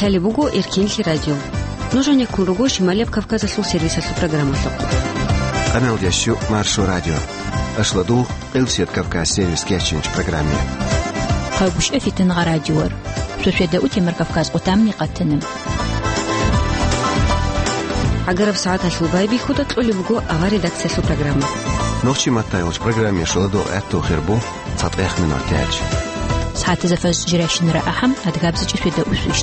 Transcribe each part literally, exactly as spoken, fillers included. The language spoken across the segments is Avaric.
Гьале буго Эркенлъи радио. Нуж гьанеккун руго Шималияб Кавказалъул сервисалъул программалъухъ. Къаналдящу Маршо радио. Ашладул Къилсият Кавказ сервис кечинч программе. Хъагушев Фитингъа радиор. Шошеда утемар Кавказ къутамни къатана. Агараб сагӀаталъул байбихьуда кьолеб буго авар редакциялъул программа. Нохчи маттайолч программе шуладул гӀатту хирбу. ЦатӀех минут тяч. СагӀатазда фаз жирашинара ахӀам, адгабзичӀи шведа усвищ.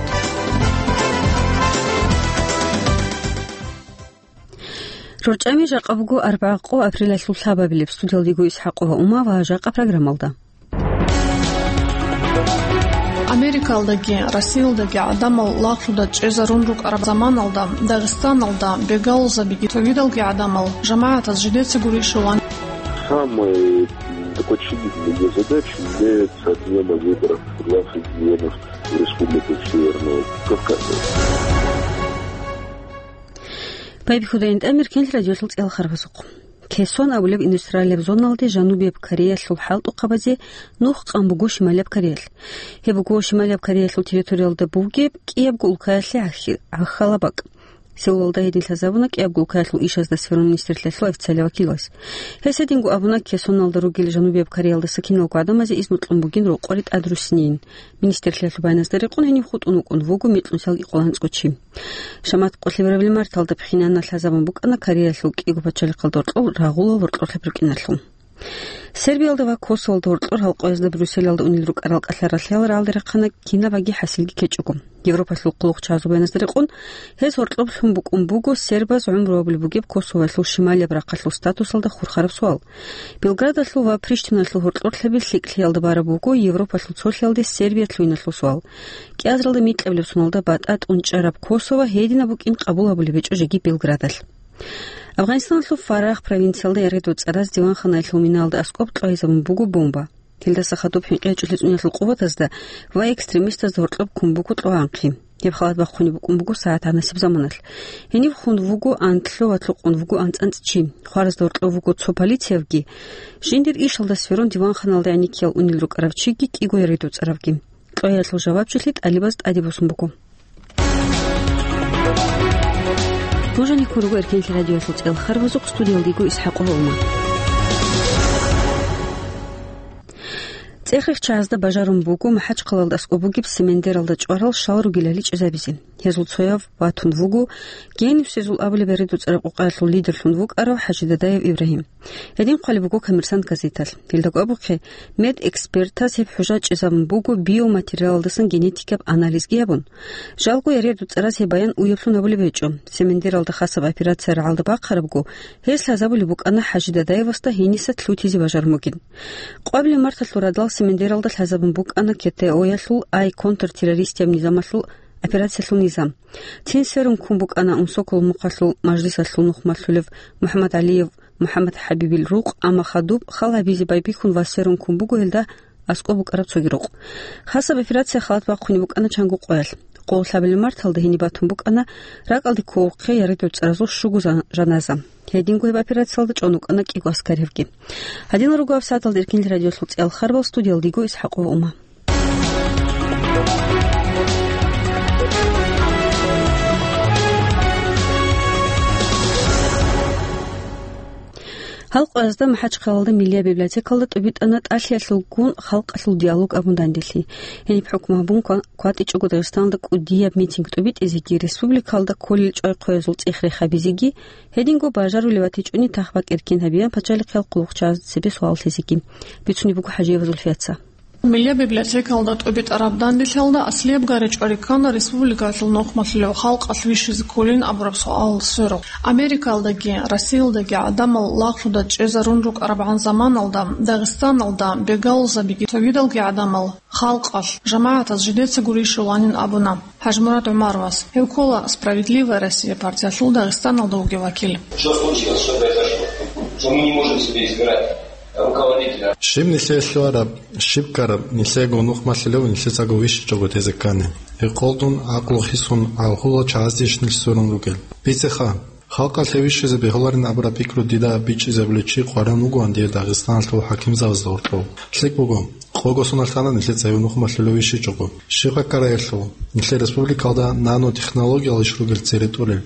РорчӀами жакъа буго арбагӀа къо апрелалъул лъабабилеб. Студиялдего ИсхӀакъова Ума ва жакъа программалда. Америкалдаги, Россиялдаги гӀадамал лагълъуда чӀезарун рукӀараб заманалда, Дагъистаналда бегалзабиги цогидалги гӀадамал жамагӀатаз жидеца гурищ ван. Самой такой очевидной её задачей является отмена выборов в глав регионов Республики Северного Кавказа. Байбихьуда ин тӀамир кенлъ радиолъул цӀел харбазухъ. Кесон абулеб индустриалияб зоналде Жанубияб Кореялъул хӀалтӀухъабазе нух къан буго Шималияб Кореялъ. Гьеб буго Шималияб Кореялъул территориялда бугеб кӀиябго улкаялъе гӀахь-, гӀахьалаб бакӀ. Сеулалда гьедин лъазабуна кӀиябго улкаялъул ишазда сверун министрлъиялъул официалияв вакилас. Гьес гьединго абуна, Кесоналда ругел Жанубияб Кореялдаса киналго гӀадамазе изну кьун бугин рокъоре тӀадруссинейин. Министрлъиялъул баяназда рекъон гьенив хутӀун вукӀун вуго микьнусиялги къоло анцӀго чи. Шамат къолъи барабили марталда пхьинана лъазабун букӀана Кореялъул кӀиго пачалихъалда гьоркьоб рагъулал гьоркьорлъаб рукӀиналъул. Сербиялда ва Косоволда гьоркьор гьалкъоязда Брюсселалда унел рукӀарал кӀалъаралъиял рагӀалде рахъана кинабаги хӀасилги кечӀого. Европалъул хъулухъчагӀазул баяназда рекъон, гьез гьоркьоб лъун букӀун буго сербаз гӀумру абулеб бугеб Косовоялъул шималияб рахъалъул статусалда хурхараб суал. Белградалъул ва Приштиналъул гьоркьорлъаби лъикӀлъиялда бараб буго Европалъул цолъиялде Сербия лъугьиналъул суал. КӀиазаралда микьабилеб соналда батӀа тӀунчӀараб Косово гьединаб букӀин къабул гьабулеб гьечӀо жеги Белградалъ. Афгъанистаналъул Фарах провинциялда яргъи доцӀараз диванханаялъул минаялда аскӀоб кьвагьизабун буго бомба. Гьелдаса хадуб хӀинкъи гьечӀолъи цӀуниялъул къуватазда ва экстремистазда гьоркьоб ккун буго кьвагӀанхъи. Гьеб халат бахъунеб букӀун буго сагӀат гьанасеб заманалъ. Гьенив хун вуго анлъго ва лъукъун вуго анцӀ-анцӀ чи. Хваразда гьоркьов вуго цо полициявги. Жиндир ишалда сверун диванханалда гӀенеккиял унел рукӀарав чиги кӀиго яргъи доцӀаравги. Кьвагьиялъул жавабчилъи тӀалибаз тӀаде босун буго. Нуж гьанеккун руго Эркенлъи радиоялъул цӀел харбазухъ, студиялда йиго ИсхӀакъова Ума. ЦӀех-рехчагӀазда бажарун буго МахӀачхъалалда аскӀоб бугеб Семендералда чӀварал щал ругелали чӀезабизе. Гьезул цояв ватун вуго, Генисезул абулеб яргъи доцӀараб къукъаялъул лидерлъун вукӀарав ХӀажидадиев Ибрагьим. Гьедин хъвалеб буго «Коммерсант» газеталъ. Гьелдаго абухъе, медэкспертаз гьеб хӀужа чӀезабун буго биоматериалалдасан генетикаб анализги гьабун. Жалго яргъи доцӀараз гьеб баян уяблъун гьабулеб гьечӀо. Семендералда хасаб операция рагӀалда бахъарабго, гьес лъазабулеб букӀана ХӀажидадиевасда гьениса лъутизе бажарун бугин. Къвабилеб марталъул радал Семендералда лъазабун букӀана КТО-ялъул, ай контртеррористияб низамалъул операциялъул низам. Цин сверун ккун букӀана Умсокол мухъалъул мажлисалъул нухмалъулев МухӀаммад ГӀалиев МухӀаммад ХӀабибил рукъ, амма хадуб хал гьабизе байбихьун ва сверун ккун буго гьелда аскӀоб букӀараб цоги рукъ. Хасаб операция халат бахъунеб букӀана чанго къоялъ. Къоло лъабилеб марталда гьениб батун букӀана ракӀалде кколухъе яргъи доцӀаразул щуго жан-, жаназа. Гьединго гьеб операциялда чӀун вукӀана кӀиго аскаривги. Гьадинал руго гьаб сагӀаталда Эркенлъи радиолъул цӀел харбал, студиялда йиго ИсхӀакъова Ума. Гьалкъоязда МахӀачхъалалда Миллияб библиотекалда тӀубитӀана тӀалъиялъулгун халкъалъул диалог абун данделъи. Гьениб хӀукму гьабун ква-, кватӀичӀого Дагъистаналда кӀудияб митинг тӀубитӀизеги, республикалда кколел чӀвай-хъвеязул цӀех-рех гьабизеги, гьединго бажарулев ватичӀони тахбакӀ эркин гьабиян пачалихъиял хъулухъчагӀазда цебе суал лъезеги. Бицунеб буго ХӀажиева Зульфияца. Миллияб библиотекалда тӀубитӀараб данделъиялда аслияб гъай речӀчӀи риккана республикалъул нухмалъулев халкъалъ вищизе кколин абураб суал сверухъ. Америкалдаги, Россиялдаги гӀадамал лагълъуда чӀезарун рукӀарабгӀан заманалда, Дагъистаналда бегалзабиги цогидалги гӀадамал халкъалъ, жамагӀатаз жидеца гурищ ванин абуна ХӀажмурад ГӀумаровас. Гьев ккола «Справедливая Россия» партиялъул Дагъистаналда вугев вакил. Что случилось, что произошло, что мы не можем себе избирать руководителя? Щиб нилъее лъугьараб, щиб ккараб, нилъеего нухмалъулев нилъецаго вищичӀого тезе ккани. Гьекъолдун гӀакълу хисун гӀалхула чагӀаздейищ нилъ сверун ругел? Бицеха, халкъалъе вищизе бегьуларин абураб пикру дида бичӀчӀизабулев чи къваригӀун вугоан дие Дагъистаналъул хӀакимзабазда гьоркьов. ЛъикӀ буго, Къого соналъ тана нилъеца гьев нухмалъулев вищичӀого. Щиб гьаккараялъул? Нилъер республикалда нанотехнологиял иш ругел цере тӀолел,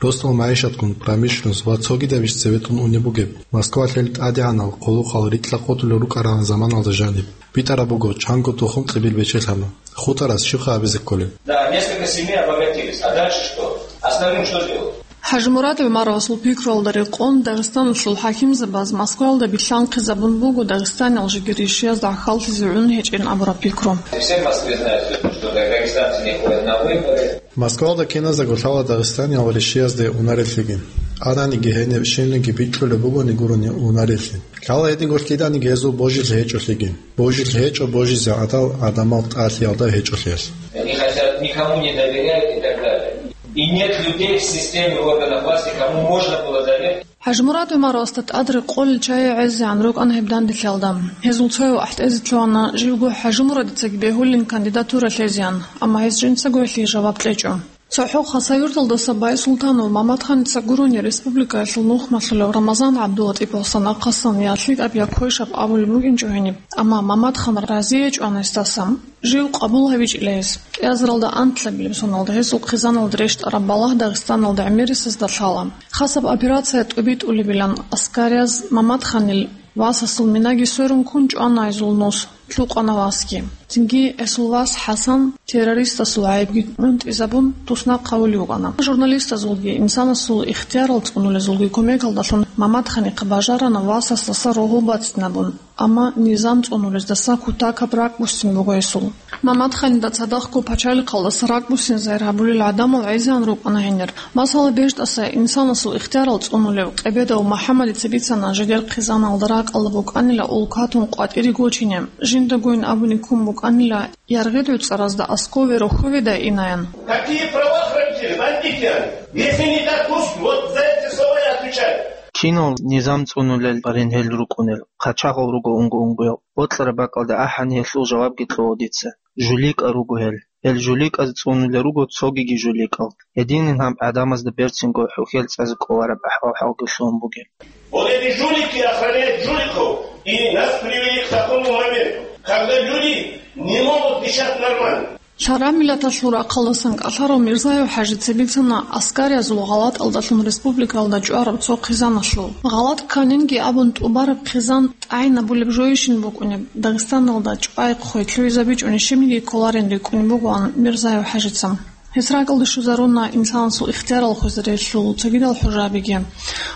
росдал магӀишатгун, промышленность ва цогидаб иш цебетун унеб бугеб. Москвалъ гьел тӀадегӀанал, хъулухъал, рикьа-къотӀулел рукӀарагӀан заманалда жаниб. БитӀараб буго, чанго тухум кьибил бечелъана. Хутарас щибха абизе кколеб? Да, несколько семей обогатились. А дальше что? Остальным что делать? ХӀажимурад ГӀумаровасул пикруялда рекъон, Дагъистаналъул хӀакимзабаз Москваялда билълъанхъизабун буго Дагъистаниял жиги ришиязда гӀахьаллъизе гӀун гьечӀин абураб пикру. Все в Москве знают, что дагестанцы не ходят на выборы. Москваялда киназдаго лъала Дагъистаниял ришиязде унарелъиги. Ананиги гьениб щибниги бикьулеб бугони гурони унарелъи. Лъала гьединго лъиданиги гьезул божилъи гьечӀолъиги. Божилъи гьечӀо божизе гӀадал гӀадамал тӀалъиялда гьечӀолъиялъ. Они хотят, никому не доверяют и так далее. И нет людей в системе органов власти, кому можно было доверить. ХӀажимурад ГӀумаровасда тӀад рекъолел чагӀи гӀезегӀан рукӀана гьеб данделъиялда. Гьезул цояв ахӀтӀезе лъугьана, живго ХӀажимурадицаги бегьулин кандидатура лъезеян, амма гьес жинцаго гьелъие жаваб кьечӀо. ЦохӀо Хасавюрталдаса Байсултанов Мамадханица гурони республикаялъул нухмалъулев Рамазан ГӀабдулатӀиповасан ахъасан я лъикӀаб, я квешаб абулеб букӀинчӀо гьениб, амма Мамадхан разиячӀоан гьесдаса. Жив къабул гьавичӀила гьес. КӀиазаралда анлъабилеб соналда гьесул хъизаналда рещтӀараб балагь Дагъистаналда гӀемерисезда лъала. Хасаб операция тӀубитӀулебилан аскарияз Мамадханил васасул минаги сверун ккун чӀвана гьезул нус, лъукъана васги. Цинги гьесул вас ХӀасан террористасул гӀайибги гӀунтӀизабун туснахъ гьавулев вукӀана. Журналистазулги, инсанасул ихтиярал цӀунулезулги кумекалдалъун Мамадханихъа бажарана васасдаса рогьу бацинабун. Амма низам цӀунулездаса кутакаб ракӀбуссин буго гьесул. Мамадханида цадахъго пачалихъалдаса ракӀбуссин загьир гьабулел гӀадамал гӀезегӀан рукӀана гьенир. Масала, бежтӀаса инсанасул ихтиярал цӀунулев Къебедов МухӀаммадица бицана жидер хъизаналда ракӀалда букӀанила улкатун къватӀире гочине, жиндагойин абуни ккун букӀанила яргъи гӀуцӀаразда аскове рохьоведай инаян. Какие права хранители? Бандитян! Если не так, пусть вот за эти слова и отвечают. Кинал низам цӀунулел барин гьел рукӀунел, хъачагъал руго унго-унгоял, бокьараб бакӀалда ахӀани гьелъул жавабги кьо дица. ЖуликӀа руго гьел. Гьел жуликӀаз цӀунулел руго цогиги жуликӀал. Гьединин гьаб гӀадамазда берцинго хӀухьел цӀазе кӀолараб ахӀвал-хӀалги лъугьун бугеб. Вот эти жулики охраняют жуликов, и нас привели к такому моменту, когда люди не могут дышать нормально. Лъабго миллаталъул рахъалдасан кӀалъарав Мирзаев ХӀажица бицана аскариязул гъалатӀалдалъун республикалда чӀвараб цо хъизаналъул. ГъалатӀ кканинги абун тӀубараб хъизан тӀагӀинабулеб жойищин букӀунеб, Дагъистаналда чӀвай-хъвей лъугӀизабичӀони щибниги кколарин рикӀкӀунеб бугоан Мирзаев ХӀажица. Гьес ракӀалде щвезаруна инсанасул ихтиярал хвезарелъул цогидал хӀужабиги.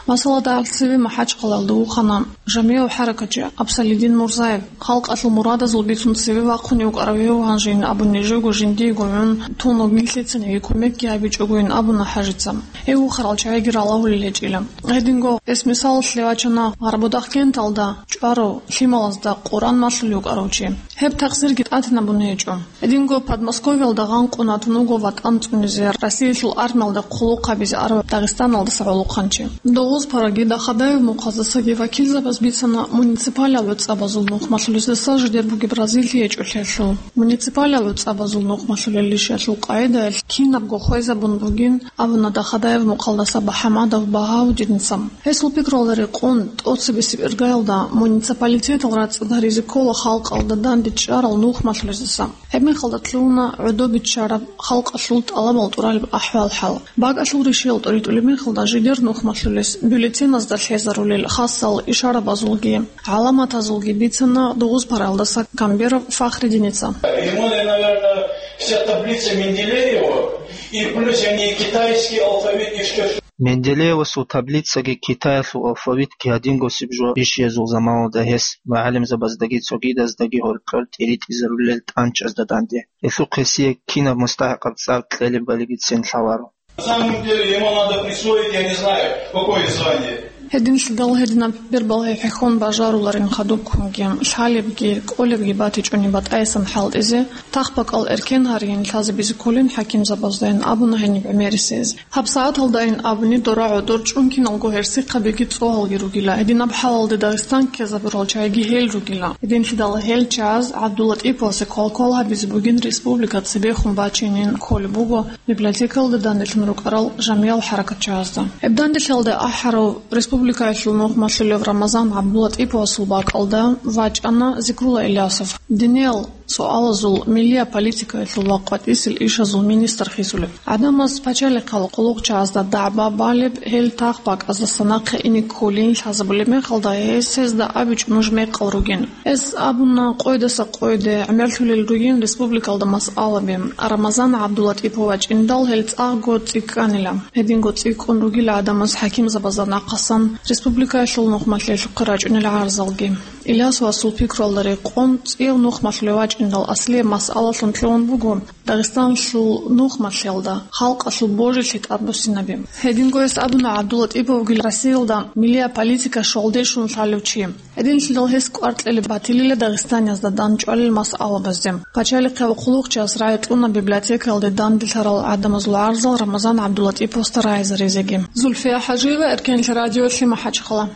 Масала, дагьаб цеве МахӀачхъалаялда вухана жамигӀав хӀаракатчи Абсалидин Мурзаев. Халкъалъул мурадазул бицун цеве вахъунев вукӀарав гьев гьанжейин абуни, живго жиндиего гӀун тун вугин, лъицаниги кумекги гьабичӀогойин абуна ХӀажица. Гьев вухарал чагӀиги ралагьулел гьечӀила. Гьединго гьес мисалалъе вачана Гъарбудахъкенталда чӀварав лъималазда Къуръан малъулев вукӀарав чи. Гьеб такъсирги тӀатинабун гьечӀо. Гьединго Подмосковьялда гъанкъун ватун вуго ватӀан цӀунизе, Россиялъул армиялда хъулухъ гьабизе араб Дагъистаналдаса гӀолохъанчи. Дугъузпараги Дахадаев мухъаздасаги вакилзабаз бицана муниципалияб гӀуцӀабазул нухмалъулездаса жидер бугеб разилъи гьечӀолъиялъул. Муниципалияб гӀуцӀабазул нухмалъулелищиялъул къагӀидаялъ кинабго хвезабун бугин абуна Дахадаев мухъалдаса БахӀамадов Багьаудиница. Гьесул пикруялда рекъон, тӀоцебесеб иргаялда муниципалитетал рацӀцӀад гьаризе ккола халкъалда данде чӀарал нухмалъулездаса. Гьеб мехалда лъугьуна гӀодобиччараб халкъалъул тӀалабал тӀуралеб ахӀвал-хӀал. БакӀалъул ришиял тӀоритӀулеб мехалда жидер нухмалъулес бюллетеназда лъезарулел хасал ишарабазулги гӀаламатазулги бицана Дугъузпараялдаса Камберов Фахридиница. Ему, наверное, вся таблица Менделеева и плюс они китайский алфавит еще. Менделеевасул таблицаги Китаялъул алфавитги гьадингосеб жо бищиязул заманалда гьес мугӀалимзабаздаги цогидаздаги гьоркьор тӀиритӀизарулел тӀанчӀазда данде. Гьелъухъ гьесие кинаб мустахӀикъаб цӀар кьелеб балигицин лъаларо. На самом деле ему надо присвоить, я не знаю, какое звание. Гьединлъидал гьединаб бербалъи хӀехьон бажаруларин хадубккунги, лъалебги, кӀолебги батичӀони батӀаясан хӀалтӀизе, тахбакӀал эркен гьаригьин лъазабизе кколин хӀакимзабаздайин абуна гьениб гӀемерисез. ГьабсагӀаталдайин абуни дора гӀодор чӀункиналго гьерсихъабиги цӀогьалги ругила, гьединаб хӀалалде Дагъистан ккезабурал чагӀиги гьел ругила. Гьединлъидал гьел чагӀаз ГӀабдуллатӀиповасе квалквал гьабизе бугин республика цебехун бачинин кколеб буго библиотекалда данделъун рукӀарал жамигӀал хӀаракатчагӀазда. Гьеб данделъиялда ахӀарав республика Республикаялъул нухмалъулев Рамазан ГӀабдулатӀиповасул бакӀалда вачӀана Зикрула Илясов, диниял суалазул, миллия политикаялъул ва къватӀисел ишазул министр хисулев. ГӀадамаз пачалихъал хъулухъчагьазда дагӀба балеб, гьел тахбакӀаздаса нахъе ине кколин лъазабулеб мехалда, гьес гьезда абичӀо нуж мекъал ругин. Гьес абуна къойдаса къойде гӀемерлъулел ругин республикалда масъалаби. Рамазан ГӀабдулатӀипов вачӀиндал гьел цӀакъго цӀикӀкӀанила. Гьединго цӀикӀкӀун ругила гӀадамаз хӀакимзабазда нахъасан республикаялъул нухмалъиялъухъе рачӀунел гӀарзалги. Илясовасул пикруялда рекъон, цӀикӀкӀун нухмалъулев вачӀиндал аслияб масъалалъун лъугьун буго Дагъистаналъул нухмалъиялда халкъалъул божилъи тӀадбуссинаби. Гьединго гьес абуна ГӀабдулатӀиповги Россиялда миллия политика щвалде щун лъалев чи. Гьединлъидал гьес кӀвар кьелеб батилила Дагъистаниязда дандчӀвалел масъалабазде. Пачалихъ ва хъулухъчияс рагӀи кьуна библиотекаялде данделъарал гӀадамазул гӀарзал Рамазан ГӀабдулатӀиповасда рагӀизаризеги. Зульфия ХӀажиева, Эркенлъи радиолъи, МахӀачхъала.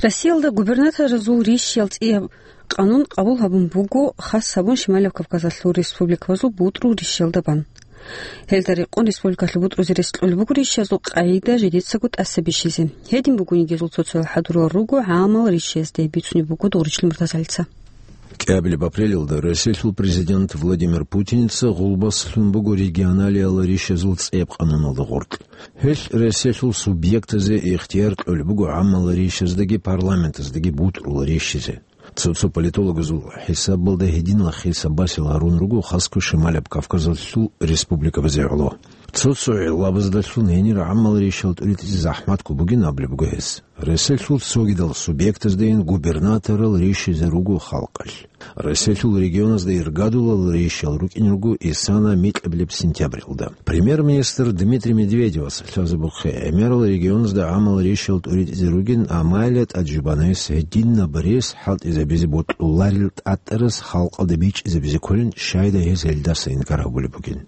Россиялда губернаторазул рищал цӀияб къанун къабул гьабун буго, хас гьабун Шималаб Кавказалъул республикабазул бутӀрул рищалда бан. Гьелда рекъон республикалъул бутӀрузе рес кьолеб буго рищазул къагӀида жидецаго тӀаса бищизе. Гьедин бугониги гьезул цо-цоял хӀадурал руго гӀамал рищазде, бицунеб буго Дугъричил Муртазалица. КӀиабилеб апрелалда Россиялъул президент Владимир Путиница гъулбаслъун буго регионалиял рищазул цӀияб къануналда гъоркь. Гьелъ Россиялъул субъектазе ихтияр кьолеб буго гӀамал рищаздаги парламентаздаги бутӀрул рищизе. Цо-цо политологазул хӀисабалда гьединал хисаб-басил гьарун руго хасго Шималаб Кавказалъул республикабазе гӀоло. Цо-цо гӀиллабаздалъун гьенир гӀамал рищал тӀуритӀизе захӀматго бугин абулеб буго гьес. Россиялъул цогидал субъектаздайин губернаторал рищизе руго халкъалъ. Россиялъул регионазда иргадулал рищал рукӀин руго исана микьабилеб сентябралда. Премьер-министр Дмитрий Медведевас лъазабухъе гӀемерал регионазда гӀамал рищал тӀуритӀизе ругин, амма гьелда тӀад жубана гьес гьединаб рес хӀалтӀизабизе бокьуларел тӀатӀарас халкъалда бичӀчӀизабизе кколин, щайда гьез гьелдаса инкар гьабулеб бугин.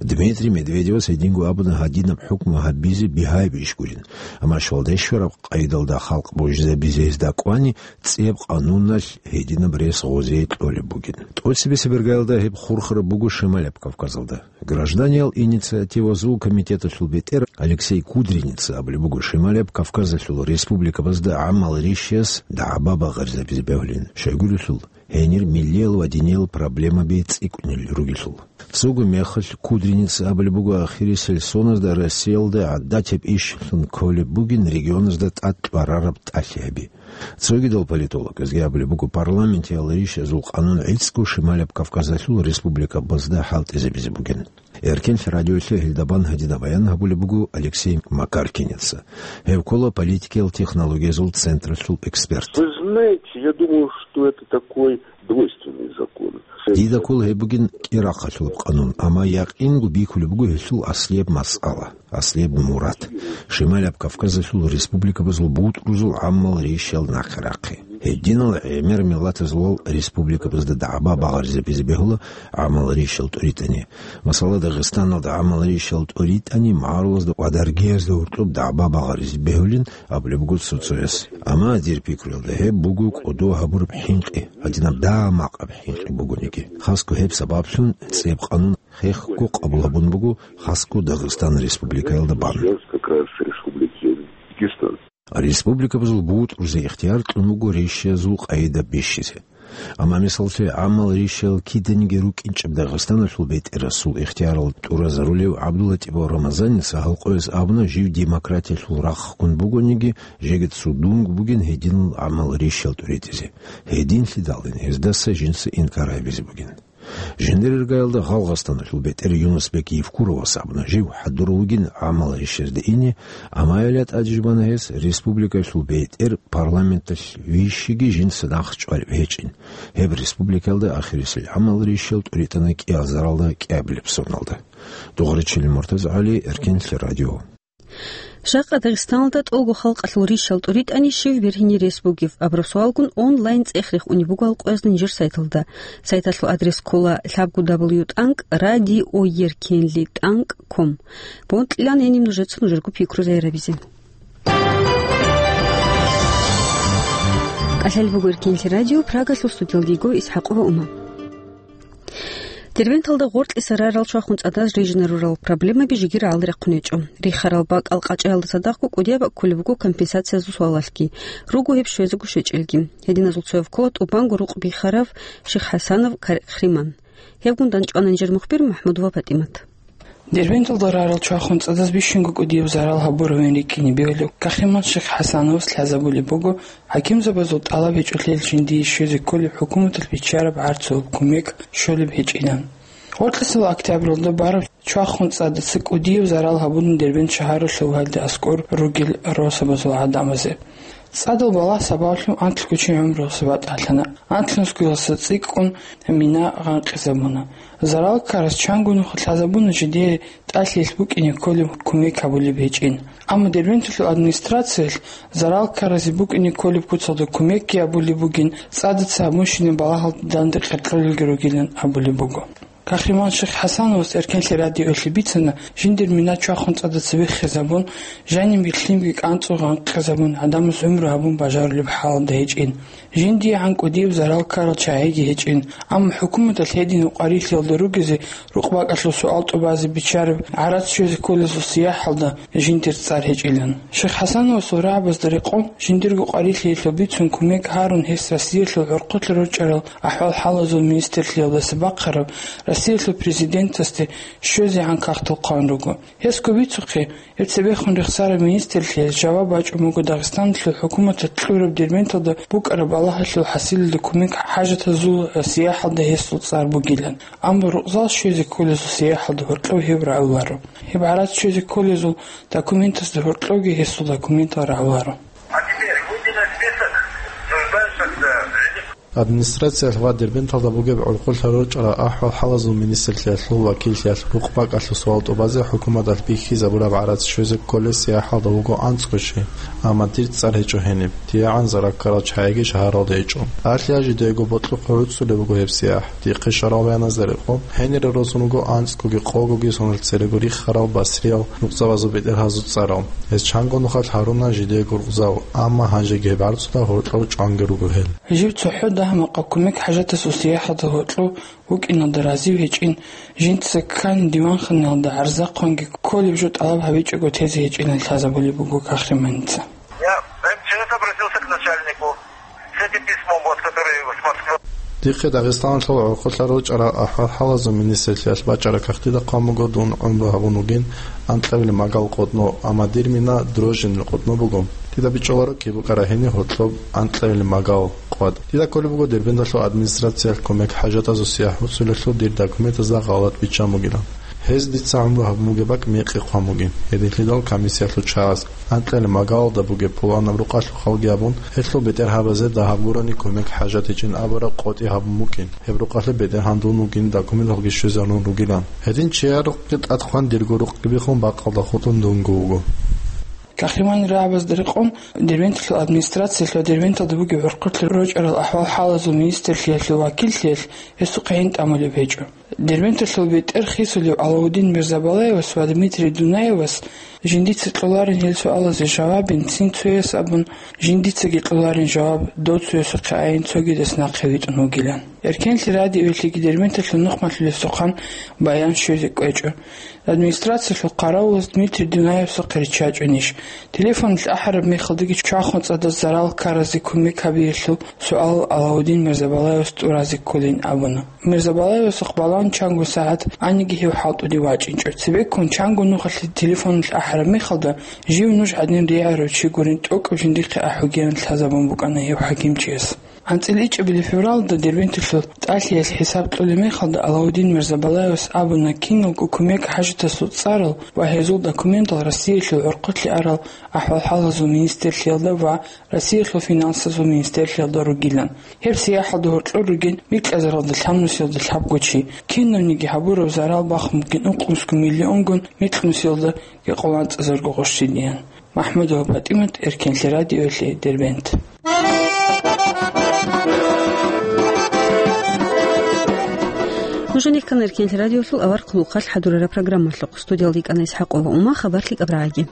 Дмитрий Медведевас гьединго абуна гьадинаб хӀукму гьабизе бигьаяб иш гурин, амма щвалде щвараб къайдалда халкъ божизабизе гьезда кӀвани, цӀияб къануналъ гьединаб рес гъозие кьолеб бугин. ТӀоцебесеб иргаялда гьеб хурхараб буго Шималаб Кавказалда. Гражданиял инициативазул комитеталъул бетӀер Алексей Кудриница абулеб буго Шималаб Кавказалъул республикабазда гӀамал рищиялъ дагӀба багъаризабизе бегьулин, щайгурелъул гьенир миллиял ва диниял проблемаби цӀикӀкӀунел ругелъул. Цого мехалъ Кудриница абулеб буго ахирисел соназда Россиялда гӀадатаб ишлъун кколеб бугин регионазда тӀад кьварараб тӀалъи гьаби. Цогидал политологазги абулеб буго парламентиял рищазул къанун гӀицӀго Шималаб Кавказалъул республикабазда хӀалтӀизабизе бугин. Эркенлъи радиоялъе гьелда бан гьадинаб баян гьабулеб буго Алексей Макаркиница. Гьев ккола политикиял технологиязул централъул эксперт. Вы знаете, я думаю, что это такой двойственный закон. Дида ккола гьеб бугин кӀирахъалъулаб къанун, амма якъинго бихьулеб буго гьелъул аслияб масъала, аслияб мурад. Шималаб Кавказалъул республикабазул бутӀрузул гӀамал рищал нахъе рахъи. Гьединал гӀемер миллатазул республикабазда дагӀба багъаризабизе бегьула гӀамал рищал тӀуритӀани. Масала, Дагъистаналда гӀамал рищал тӀуритӀани магӀарулазда ва даргиязда гьоркьоб дагӀба багъаризе бегьулин абулеб буго цо-цояс. Амма дир пикруялда гьеб буго кӀодо гьабураб хӀинкъи, гьадинаб дагьа-макъаб хӀинкъи бугониги. Хасго гьеб сабаблъун цӀияб къанун хехго къабул гьабун буго хасго Дагъистан республикаялда бан. Сейчас как раз республики Дагестан. Республикабазул бутӀрузе ихтияр кьун буго рищиязул къайда бищизе. Амма, мисаллъе, гӀамал рищал киданиги рукӀинчӀеб Дагъистаналъул бетӀерасул ихтиярал тӀуразарулев ГӀабдуллатӀипов Рамазаница гьалкъояс абуна, жив демократиялъул рахъ ккун бугониги, жеги цо дунго бугин гьединал гӀамал рищал тӀуритӀизе. Гьединлъидалин гьездаса жинца инкар гьабизе бугин. Жиндир иргаялда Гъалгъастаналъул бетӀер Юнусбек Евкуровас абуна, жив хӀадур вугин гӀамал рищазде ине, амма гьелда тӀад жубана гьес, республикалъул бетӀер парламенталъ вищиги жинца нахъ чӀвалеб гьечӀин. Гьеб республикаялда ахирисел гӀамал рищал тӀуритӀана кӀиазаралда кӀиабилеб соналда. Дугъричилин МуртазагӀали, Эркенлъи радио. Жакъа Дагъистаналда тӀолго халкъалъул рищал тӀуритӀани щив бергьине рес бугеб абураб суалгун онлайн цӀех рехунеб буго гьалкъоязда нижер сайталда. Сайталъул адрес ккола лъабго дабл ю тӀанкӀ радио еркенлъи тӀанкӀ ком. Бокьилаан гьениб нужеца нужерго пикру загьирабизе. КӀалъалеб буго Эркенлъи радио, Прагалъул студиялда йиго ИсхӀакъова Ума. Дербенталда гъоркьиса рарал чвахун цӀадаз рижинарурал проблемаби жеги рагӀалде рахъун гьечӀо. Рихарал бакӀал къачӀаялда цадахъго кӀудияб бакӀ кколеб буго компенсациязул суалалъги, руго гьеб щвезего щвечӀелги. Гьединазул цояв ккола тӀубанго рукъ бихарав Шиххасанов Кахриман. Гьебгун дандчӀвана нижер мухбир МахӀмудова ПатӀимат. Дербенталда рарал чвахун цӀадаз бищунго кӀудияб зарал гьабуравин рикӀкӀине бегьулев Кахриман Шиххасановас лъазабулеб буго, хӀакимзабазул тӀалаб гьечӀолъиялъ жиндие щвезе кколеб хӀукуматалъ биччараб гӀарцул кумек щолеб гьечӀилан. Гъоркьисел октябралда бараб чвахун цӀадаца кӀудияб зарал гьабуна Дербент шагьаралъул гьалде аскӀор ругел росабазул гӀадамазе. ЦӀадал балагь сабаблъун анлъго чи гӀумруялъа батӀалъана, анлънусгоялъа цӀикӀкӀун мина гъанкъизабуна. Зарал ккарас чанго нуха лъазабуна жидее тӀалъиялъ букӀине кколеб кумек гьабулеб гьечӀин. Амма Дербенталъул администрациялъ зарал ккаразе букӀине кколеб куцалда кумекги гьабулеб бугин, цӀадаца гьабунщинаб балагьалда данде къеркьолелги ругилан абулеб буго. Кахриман Шиххасановас Эркенлъи радиоялъе бицана, жиндир мина чвахун цӀадаца биххизабун, жаниб лъимги кӀанцӀун гъанкъизабун, гӀадамаз гӀумру гьабун бажарулеб хӀалалда гьечӀин. ЖиндиегӀан кӀудияб зарал ккарал чагӀиги гьечӀин, амма хӀукуматалъ гьедин гьукъарилъиялда ругезе, рукъ-бакӀалъул суал тӀубазе биччараб гӀарац щвезе кколезул сияхӀалда жиндир цӀар гьечӀилан. Шиххасановасул рагӀабазда рекъон, жиндирго къварилъиялъул бицун кумек гьарун гьес Россиялъул гӀурхъулъа рорчӀарал ахӀвал-хӀалазул министрлъиялдаса бахъараб Россиялъул президентасде щвезегӀан кагътал хъван руго. Гьесго бицухъе, гьеб цебехун рехсараб министрлъиялъ жаваб бачӀун буго Дагъистаналъул хӀукуматалъ кьураб Дербенталда букӀараб балагьалъул хӀасилалда кумек хӀажатазул сияхӀалда гьесул цӀар бугилан, амма рукъзал щвезе кколезул сияхӀалда гьоркьов гьеб рагӀуларо. Гьеб гӀарац щвезе кколезул документазда гьоркьовги гьесул документал рагӀуларо. А теперь выйди на список нуждающихся в жилье. Администрациялъ ва Дербенталда бугеб гӀурхъулъа рорчӀарал ахӀвал-хӀалазул министрлъиялъул вакиллъиялъ рукъ-бакӀалъул суал тӀубазе хӀукуматалъ бихьизабураб гӀарац щвезе кколес сияхӀалда вуго анцӀго чи, амма дир цӀар гьечӀо гьениб. ТӀигӀан зарал ккарал чагӀиги шагьаралда гьечӀо. Алъ я жидеего бокьухъе гӀуцӀулеб буго гьеб сияхӀ. Дихъе щварал баяназда рекъон, гьенире росун руго анцӀгоги къогоги соналъ церего рихарал басриял нуцӀабазул бетӀергьазул цӀарал. Гьез чанго нухалъ гьаруна жидеего рукъзал, амма гьанжеги гьеб гӀарцуда гьоркьов чӀванги руго гьел. Жив цохӀо дагьа-макъа кумек хӀажатасул сияхӀалда гьоркьов вукӀиналда разив гьечӀин, жинца ккани диванханаялда гӀарзахъанги кколеб жо тӀалаб гьабичӀого тезе гьечӀилан лъазабулеб буго Кахриманица. Я МЧС обратился к начальнику с этим письмом, вот, которое с Москвы. Дихъе Дагъистаналъул гӀурхъулъа рорчӀарал ахӀвал-хӀалазул министрлъиялъ бачӀараб кагътида хъван буго дун гӀумру гьабун вугин анкьабилеб магал къотӀно, амма дир мина Дрожжинил къотӀно буго. Дида бичӀчӀуларо киб букӀараб гьениб гьоркьоб анкьабилеб магал къватӀ. Дида кколеб буго Дербенталъул администрациялъ кумек хӀажатазул сияхӀ гьуцӀулелъул дир документазда гъалатӀ биччан бугилан. Гьез дица гӀумру гьабун бугеб бакӀ мекъи хъван бугин. Гьединлъидал комиссиялъул чагӀаз анкьабилеб магалалда бугеб пуланаб рукъалъухъалги абун, гьелъул бетӀергьабазе дагьаб гурони кумек хӀажат гьечӀин абураб къотӀи гьабун букӀин. Гьеб рукъалъе бетӀергьан дун вугин, документалги щвезарун ругилан. Гьедин чияр рукъги тӀад хъван дирго рукъги биххун бакъалда хутӀун дунго вуго. Кахриманил рагӀабазда рекъон, Дербенталъул администрациялъ ва Дербенталда бугеб гӀурхъулъа рорчӀарал ахӀвал-хӀалазул министрлъиялъул вакиллъиялъ гьесухъе гьин тӀамулеб гьечӀо. Дербенталъул бетӀер хисулев Алаудин Мирзабалаевас ва Дмитрий Дунаевас жиндица кьоларин гьел суалазе жавабин цин цояс абун, жиндицаги кьоларин жаваб дов цоясухъе айин цогидас нахъе витӀун вугилан. Эркенлъи радиоялъеги Дербенталъул нухмалъулесухъан баян щвезе кӀвечӀо. Администрациялъул хъаравулас Дмитрий Дунаевсухъе риччачӀунищ? Телефоналъ ахӀараб мехалдаги чвахун цӀадаз зарал ккаразе кумек гьабиялъул суал Алаудин Мирзабалаевас тӀуразе кколин абуна. Мирзабалаевасухъ балан чанго сагӀат гьаниги гьев хӀалтӀуде вачӀинчӀо. Цебеккун чанго нухалъе телефоналъ ахӀараб мехалда, жив нуж гӀадин ригӀарав чи гурин тӀокӀаб жиндихъе ахӀугеян лъазабун букӀана гьев хӀакимчияс. АнцӀила ичӀабилеб февралда Дербенталъул тӀалъиялъ хӀисаб кьолеб мехалда Алаудин Мирзабалаевас абуна, киналго кумек хӀажатасул цӀарал ва гьезул документал Россиялъул гӀурхъулъе арал ахӀвал-хӀалазул министрлъиялда ва Россиялъул финансазул министрлъиялда ругилан. Гьеб сияхӀалда гьоркьор ругин микьазаралда лъабнусиялда лъабго чи. Кинавниги гьабураб зарал бахун бугин ункънусго миллионгун микьнусиялда гьекъоланцӀазарго гъощиниян. МахӀмудова ПатӀимат, Эркенлъи радиоялъе, Дербент. Нуж гьанихъан Эркенлъи радиолъул авар хъулухъалъ хӀадурараб программалъухъ. Студиялда йикӀана ИсхӀакъова Ума, хабарлъи кӀабрагӀаги.